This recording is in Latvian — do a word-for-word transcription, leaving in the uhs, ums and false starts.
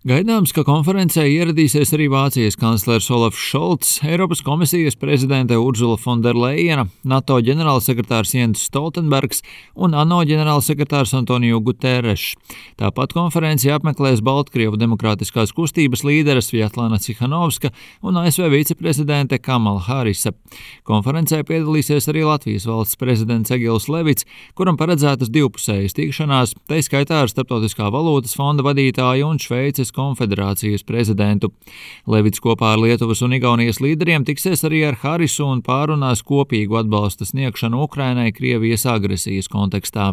Gaidāms, ka konferencē ieradīsies arī Vācijas kanclers Olafs Šolts, Eiropas komisijas prezidente Urzula Fonderlejena, NATO ģenerālsekretārs Jens Stoltenbergs un ANO ģenerālsekretārs Antonio Guterres. Tāpat konferenci apmeklēs Baltkrievu demokrātiskās kustības līderes Vjatlana Cihanovska un A S V viceprezidente Kamala Harisa. Konferencē piedalīsies arī Latvijas valsts prezidents Egils Levits, kuram paredzētas divpusējas tikšanās, tai skaitā ar Starptautiskā valūtas fonda vadītāju un Šveices konfederācijas prezidentu. Levits kopā ar Lietuvas un Igaunijas līderiem tiksies arī ar Harisu un pārunās kopīgu atbalsta sniegšanu Ukrainai Krievijas agresijas kontekstā.